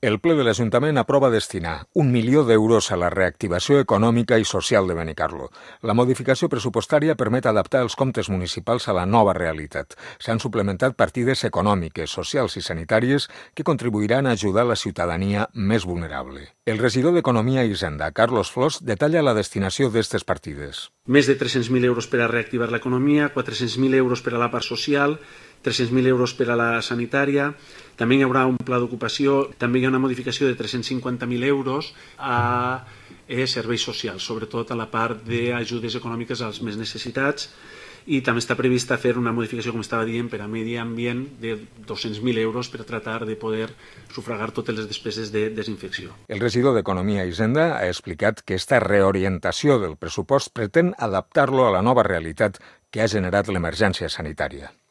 El ple de l'Ajuntament aprova destinar 1 milió d'euros a la reactivació econòmica i social de Benicarló. La modificació pressupostària permet adaptar els comptes municipals a la nova realitat. S'han suplementat partides econòmiques, socials i sanitàries que contribuiran a ajudar la ciutadania més vulnerable. El regidor d'Economia i Hisenda, Carlos Flors, detalla la destinació d'aquestes partides. Més de 300.000 euros per a reactivar l'economia, 400.000 euros per a la part social, 300.000 euros per a la sanitària. També hi haurà un pla d'ocupació, també hi ha una modificació de 350.000 euros a serveis socials, sobretot a la part d'ajudes econòmiques als més necessitats, i també està prevista fer una modificació, com estava dient, per a medi ambient de 200.000 euros per tratar de poder sufragar totes les despeses de desinfecció. El regidor d'Economia i Hisenda ha explicat que aquesta reorientació del pressupost pretén adaptar-lo a la nova realitat que ha generat l'emergència sanitària.